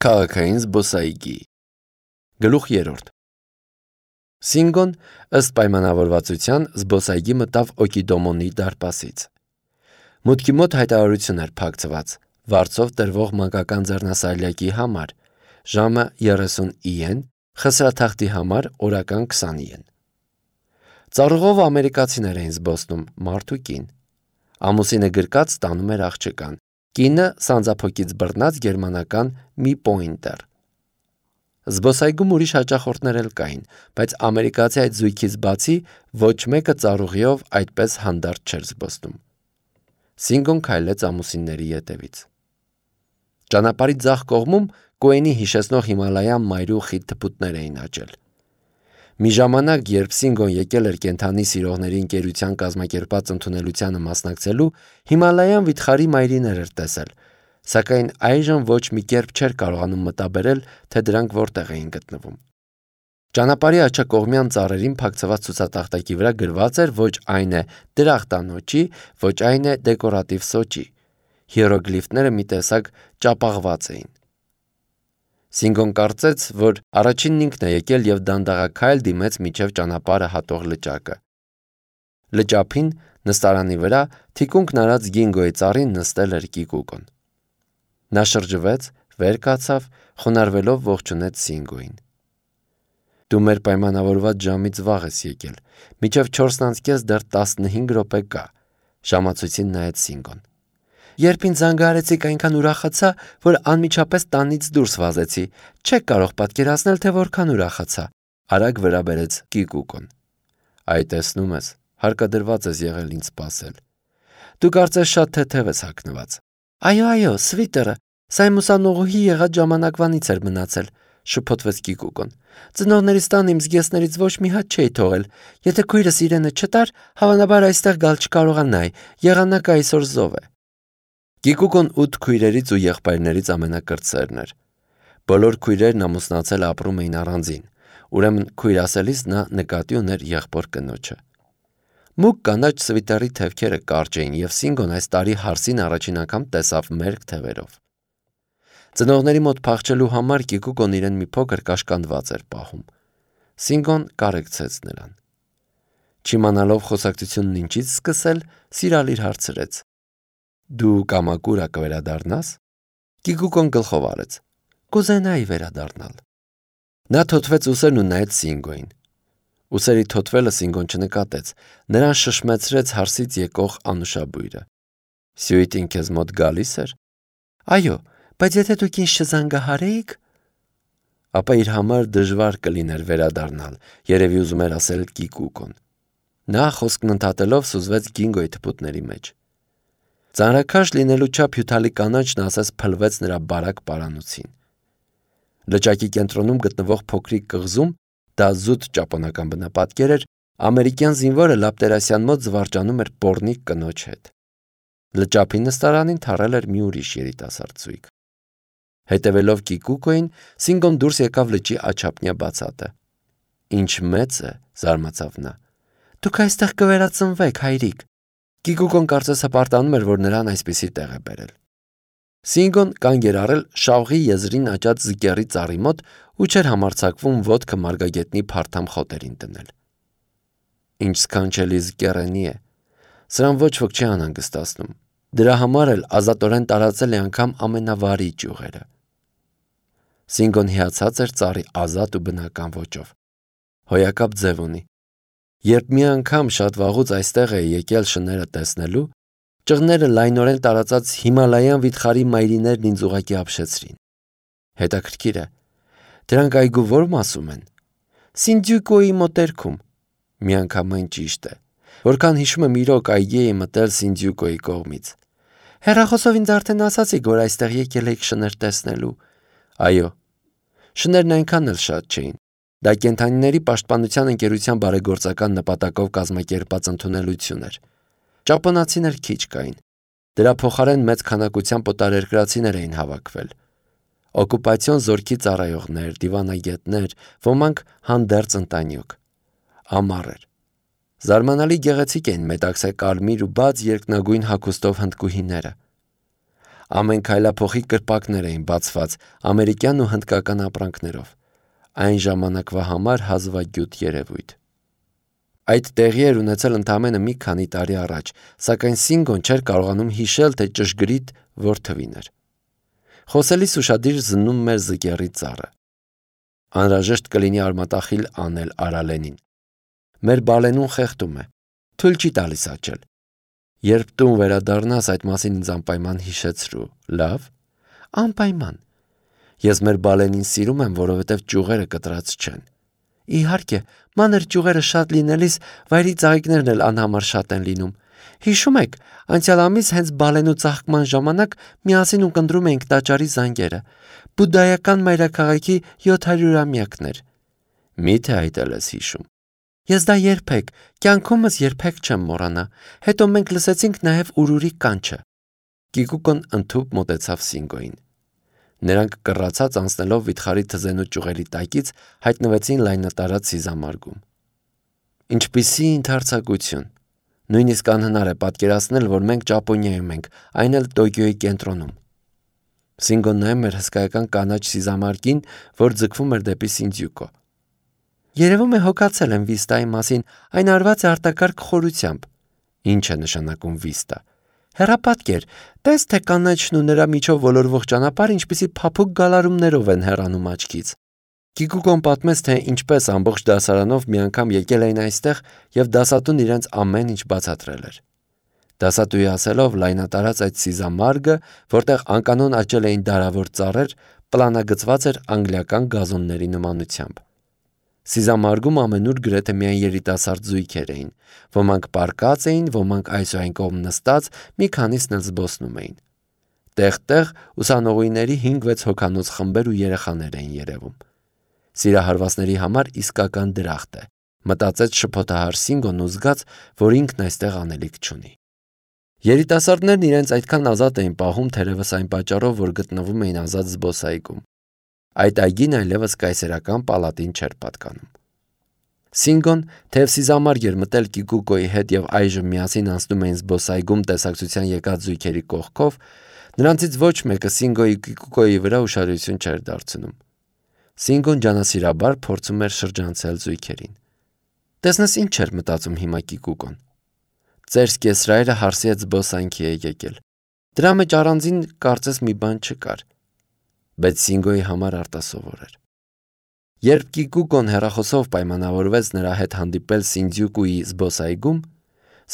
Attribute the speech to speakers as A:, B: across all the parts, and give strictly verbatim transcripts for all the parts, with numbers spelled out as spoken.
A: Քաղաքային զբոսայգի Գլուխ երրորդ Սինգոն ըստ պայմանավորվածության զբոսայգի մտավ Օկիդոմոնի դարպասից։ Մուտքի մոտ հայտարարություն էր փակցված վարձով տրվող մանկական ձեռնասայլակի համար, ժամը երեսուն իեն, խսրաթախտի համար օրական քսան իեն։ Ծառուղով ամերիկացիներ էին զբոսնում, մարդ ու կին։ Ամուսինը գրկած տանում էր աղջկան, կինը սանձափոկից բռնած գերմանական մի պոինտեր։ Զբոսայգում ուրիշ հաճախորդներ էլ կային, բայց ամերիկացի այդ զույգից բացի ոչ մեկը ծառուղիով այդպես հանդարտ չէր զբոսնում։ Սինգոն քայլեց ամուսինների ետևից։ Ճանապարհի ձախ կողմում Կոենի հիշեցնող Հիմալայան մայրու խիտ թփուտներ էին աճել։ Մի ժամանակ, երբ Սինգոն եկել էր կենդանի սիրողների ընկերության կազմակերպած ընդունելությանը մասնակցելու, Հիմալայան վիթխարի մայրիներ էր տեսել, սակայն այժմ ոչ մի կերպ չէր կարողանում մտաբերել, թե դրանք որտեղ էին գտնվում։ Ճանապարհի աջակողմյան ծառերին փակցված ցուցատախտակի վրա գրված էր ոչ այն է դրախտանոճի, ոչ այն է դեկորատիվ սոճի։ Հիերոգլիֆները մի տեսակ ճապաղված էին։ Սինգոն կարծեց, որ առաջինն ինքն է եկել եւ դանդաղաքայլ դիմեց միջև ճանապարհը հատող լճակը։ Լճափին նստարանի վրա թիկունքն արած Գինգոյի ծառին նստել էր Կիկուկոն։ Նա շրջվեց, վեր կացավ, խոնարհվելով ողջունեց Սինգոյին։ Դու մեր պայմանավորված ժամից վաղ ես եկել, մինչև չորսն անց կես դեռ տասնհինգ րոպե կա, ժամացույցին նայեց Սինգոն։ Երբ ինձ զանգահարեցիք, այնքան ուրախացա, որ անմիջապես տանից դուրս վազեցի, չեք կարող պատկերացնել, թե որքան ուրախացա, արագ վրա բերեց Կիկուկոն։ Այ տեսնում ես, հարկադրված ես եղել ինձ սպասել։ Դու կարծես շատ թեթև ես հագնված։ Այո, այո, սվիտերը, սա իմ ուսանողուհի եղած ժամանակվանից էր մնացել, շփոթվեց Կիկուկոն։ Ծնողներիս տան իմ զգեստներից ոչ մի հատ չէի թողել։ Եթե քույրս իրենը չտար, հավանաբար այստեղ գալ չկարողանայի, եղանակը այսօր զով է։ Կիկուկոն ութ քույրերից ու եղբայրներից ամենակրտսերն էր։ Բոլոր քույրերն ամուսնացել ապրում էին առանձին, ուրեմն քույր ասելիս նա նկատի ուներ եղբոր կնոջը։ Մուգ կանաչ սվիտերի թևքերը կարճ էին եւ Սինգոն այս տարի հարսին առաջին անգամ տեսավ մերկ թևերով։ Ծնողների մոտ փախչելու համար Կիկուկոն իրեն մի փոքր կաշկանդված էր պահում։ Սինգոն կարեկցեց նրան։ Չիմանալով խոսակցությունն ինչից սկսել, սիրալիր հարցրեց. Դու կամակուրա կվերադառնաս։ Կիկուկոն գլխով արեց. Կուզենայի վերադառնալ։ Նա թոթվեց ուսերն ու նայեց Սինգոյին։ Ուսերի թոթվելը Սինգոն չնկատեց, նրան շշմեցրեց հարսից եկող անուշաբույրը։ Սյուիտին քեզ մոտ գալիս էր։ Այո, բայց եթե դուք ինձ չզանգահարեիք, ապա իր համար դժվար կլիներ վերադառնալ, երևի ուզում էր ասել Կիկուկոն։ Նա խոսքն ընդհատելով սուզվեց Գինգոյի թփուտների մեջ։ Ծանրաքաշ լինելու չափ հյութալի կանաչն ասես փլվեց նրա բարակ պարանոցին։ Լճակի կենտրոնում գտնվող փոքրիկ կղզում, դա զուտ ճապոնական բնապատկեր էր, ամերիկյան զինվորը Լապտերասյան մոտ զվարճանում էր պոռնիկ կնոջ հետ։ Լճափի նստարանին թռել էր մի ուրիշ երիտասարդ զույգ։ Հետևելով Կիկուկոյին, Սինգոն դուրս եկավ լճի աչափնյա բացատը։ Ինչ մեծ է, զարմացավ նա։ Դուք այստեղ կվերածնվեք, հայրիկ։ Կիկուկոն կարծես հպարտանում էր, որ նրան այսպիսի տեղ է բերել։ Սինգոն կանգ էր առել շավղի եզրին աճած զկեռի ծառի մոտ ու չէր համարձակվում ոտքը մարգագետնի փարթամ խոտերին դնել։ Ինչ սքանչելի զկեռենի է։ Սրան ոչ ոք չի անհանգստացնում։ Դրա համար էլ ազատորեն տարածել է անգամ ամենավարի ճյուղերը։ Սինգոն հիացած էր ծառի ազատ ու բնական ոճով։ Հոյակապ ձև ունի։ Երբ մի անգամ շատ վաղուց այստեղ է եկել շները տեսնելու, ճղները լայնորեն տարածած Հիմալայան վիթխարի մայրիներն ինձ ուղակի ապշեցրին։ Հետաքրքիր է, դրանք այգու ո՞ր մասում են։ Սինդյուկոյի մոտերքում։ Միանգամայն ճիշտ է։ Որքան հիշում եմ, իրոք այգի էի մտել Սինդյուկոյի կողմից։ Հեռախոսով ինձ արդեն ասացիք, որ այստեղ եկել եք շներ տեսնելու։ Այո։ Շներն այնքան էլ շատ չէին։ Դա կենդանիների պաշտպանության ընկերության բարեգործական նպատակով կազմակերպած ընդունելություն էր։ Ճապոնացիներ քիչ կային։ Դրա փոխարեն մեծ քանակությամբ օտարերկրացիներ էին հավաքվել։ Օկուպացիոն զորքի ծառայողներ, դիվանագետներ, ոմանք հանդերձ ընտանիք։ Ամառ էր։ Զարմանալի գեղեցիկ էին մետաքսե կարմիր ու բաց երկնագույն հագուստով հնդկուհիները։ Ամեն քայլափոխի կրպակներ էին բացված ամերիկյան ու հնդկական ապրանքներով։ Այն ժամանակվա համար հազվագյուտ երևույթ։ Այդ տեղի էր ունեցել ընդամենը մի քանի տարի առաջ, սակայն Սինգոն չէր կարողանում հիշել, թե ճշգրիտ որ թվին էր։ Խոսելիս ուշադիր զննում մեր զկերի ծառը։ Անհրաժեշտ կլինի արմատախիլ անել Արալենին։ Մեր բալենուն խեղդում է, թույլ չի տալիս աճել։ Երբ տուն վերադառնաս, այդ մասին ինձ անպայման հիշեցրու, լավ։ Անպայման։ Ես մեր բալենին սիրում եմ, որովհետև ճյուղերը կտրած չեն։ Իհարկե, մանր ճյուղերը շատ լինելիս վայրի ծաղիկներն էլ անհամար շատ են լինում։ Հիշում եք, անցյալ ամիս հենց բալենու ծաղկման ժամանակ միասին ունկնդրում էինք տաճարի զանգերը։ Բուդդայական մայրաքաղաքի յոթ հարյուրամյակն էր։ Մի՞թե այդ էլ ես հիշում։ Ես դա երբեք, կյանքումս երբեք չեմ մոռանա։ Հետո մենք լսեցինք նաև ուրուրի կանչը։ Կիկուկոն ընդհուպ մոտեցավ Սինգոյին։ Նրանք կռացած անցնելով վիթխարի թզենու ճյուղերի տակից հայտնվեցին լայնատարած սիզամարգում։ Ինչպիսի ընդարձակություն։ Նույնիսկ անհնար է պատկերացնել, որ մենք Ճապոնիայում ենք, այն էլ Տոկիոյի կենտրոնում։ Սինգոն նայում էր հսկայական կանաչ սիզամարգին, որ ձգվում էր դեպի Սինդզյուկո։ Երևում է հոգացել եմ վիստայի մասին, այն արված է արտակարգ խորությամբ։ Ինչ է նշանակում վիստա։ Հեռապատկեր, տես թե կանաչն ու նրա միջով ոլորվող ճանապարհ ինչպիսի փափուկ գալարումներով են հեռանում աչքից։ Կիկուկոն պատմեց, թե ինչպես ամբողջ դասարանով մի անգամ եկել էին այստեղ եւ դասատուն իրենց ամեն ինչ բացատրել էր։ Դասատուի ասելով լայնատարած այդ սիզամարգը, որտեղ անկանոն աճել էին դարավոր ծառեր, պլանագծված էր անգլիական գազոնների նմանությամբ։ Սիզամարգում ամենուր գրեթե միայն երիտասարդ զույգեր էին, ոմանք պարկած էին, ոմանք այս ու այն կողմ նստած, մի քանիսն էլ զբոսնում էին։ Տեղ-տեղ ուսանողուհիների հինգ-վեց հոգանոց խմբեր ու երեխաներ էին երևում։ Սիրահարվածների համար իսկական դրախտ է, մտածեց շփոթահար Սինգոն ու զգաց, որ ինքն այստեղ անելիք չունի։ Երիտասարդներն իրենց այդքան ազատ էին պահում, թերևս այն պատճառով, որ գտնվում էին ազատ զբոսայգում։ Այդ այգին այլևս կայսերական պալատին չէր պատկանում։ Սինգոն, թեև սիզամարգ էր մտել Կիկուկոյի հետ եւ այժմ միասին անցնում էին զբոսայգում տեսակցության եկած զույգերի կողքով, նրանցից ոչ մեկը Սինգոյի Կիկուկոյի վրա ուշադրություն չէր դարձնում։ Սինգոն ջանասիրաբար փորձում էր շրջանցել զույգերին։ Տեսնես ինչ էր մտածում հիմա Կիկուկոն։ Ծեր սկեսրայրը հարսի հետ զբոսանքի է եկել։ Դրա մեջ առանձին կարծես մի բան չկար։ Բայց Սինգոյի համար արտասովոր էր։ Երբ Կիկուկոն հեռախոսով պայմանավորվեց նրա հետ հանդիպել Սինդզյուկուի զբոսայգում,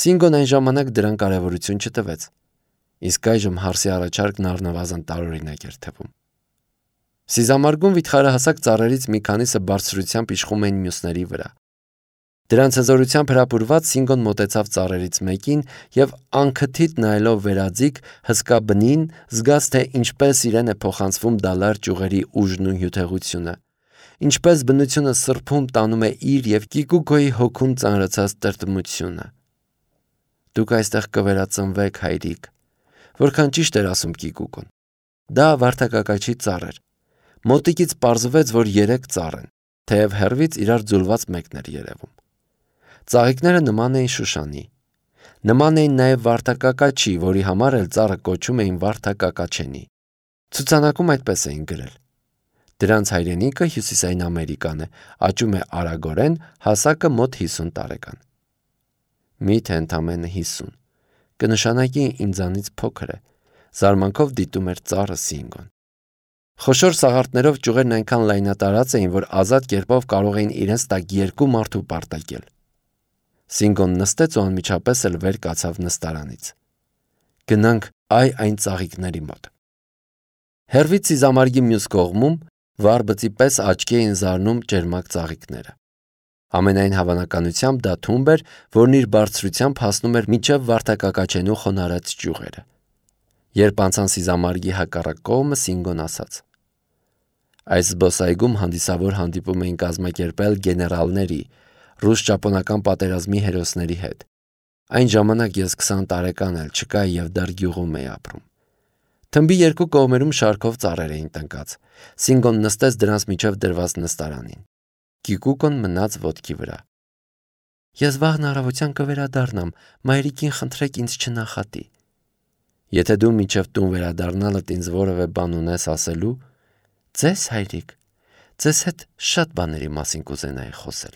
A: Սինգոն այն ժամանակ դրան կարևորություն չտվեց։ Իսկ այժմ հարսի առաջարկն առնվազն տարօրինակ էր թվում։ Սիզամարգում վիթխարահասակ ծառերից մի քանիսը բարձրությամբ իշխում էին մյուսների վրա։ Դրանց հզորությամբ հրապուրված Սինգոն մոտեցավ ծառերից մեկին եւ անքթիթ նայելով վերաձիգ հսկա բնին զգաց, թե ինչպես իրեն է փոխանցվում դալար ճյուղերի ուժն ու հյութեղությունը, ինչպես բնությունը սրբում տանում է իր եւ Կիկուկոյի հոգուն ծանրացած տրտմությունը։ Դուք այստեղ կվերածնվեք, հայրիկ։ Որքան ճիշտ էր ասում Կիկուկոն։ Դա վարդակակաչի ծառ էր։ Մոտիկից պարզվեց, որ երեք ծառ են, թեև հեռվից իրար ձուլված մեկն էր երևում։ Ծաղիկները նման էին Շուշանի։ Նման էին նաև վարդակակաչի, որի համար էլ ծառը կոչում էին վարդակակաչենի։ Ցուցանակում այդպես էին գրել։ Դրանց հայրենիքը Հյուսիսային Ամերիկան է, աճում է արագորեն, հասակը մոտ հիսուն տարեկան։ Միթե ընդամենը հիսուն։ Կնշանակի ինձանից փոքր է, զարմանքով դիտում էր ծառը Սինգոն։ Խոշոր սաղարթներով ճյուղերն այնքան լայնատարած էին, որ ազատ կերպով կարող էին իրենց տակ երկու մարդու պարտակել։ Սինգոն նստեց ու անմիջապես էլ վեր կացավ նստարանից։ Գնանք այ այն ծաղիկների մոտ։ Հեռվից սիզամարգի մյուս կողմում վարբծի պես աչքի էին զարնում ճերմակ ծաղիկները։ Ամենայն հավանականությամբ դա թումբ էր, որն իր բարձրությամբ հասնում էր մինչև վարդակակաչենու խոնարհած ճյուղերը։ Երբ անցան սիզամարգի հակառակ կողմը, Սինգոն ասաց. Այս զբոսայգում հանդիսավոր հանդիպում էին կազմակերպել գեներալների, ռուս-ճապոնական պատերազմի հերոսների հետ։ Այն ժամանակ ես քսան տարեկան էլ չկա եւ դեռ գյուղում էի ապրում։ Թմբի երկու կողմերում շարքով ծառեր էին տնկած։ Սինգոն նստեց դրանց միջև դրված նստարանին։ Կիկուկոն մնաց ոտքի վրա։ Ես վաղն առավոտյան կվերադառնամ, մայրիկին խնդրեք ինձ չնախատի։ Եթե դու մինչև տուն վերադառնալդ ինձ որևէ բան ունես ասելու, ձեզ հայրիկ, ձեզ հետ շատ բաների մասին կուզենայի խոսել։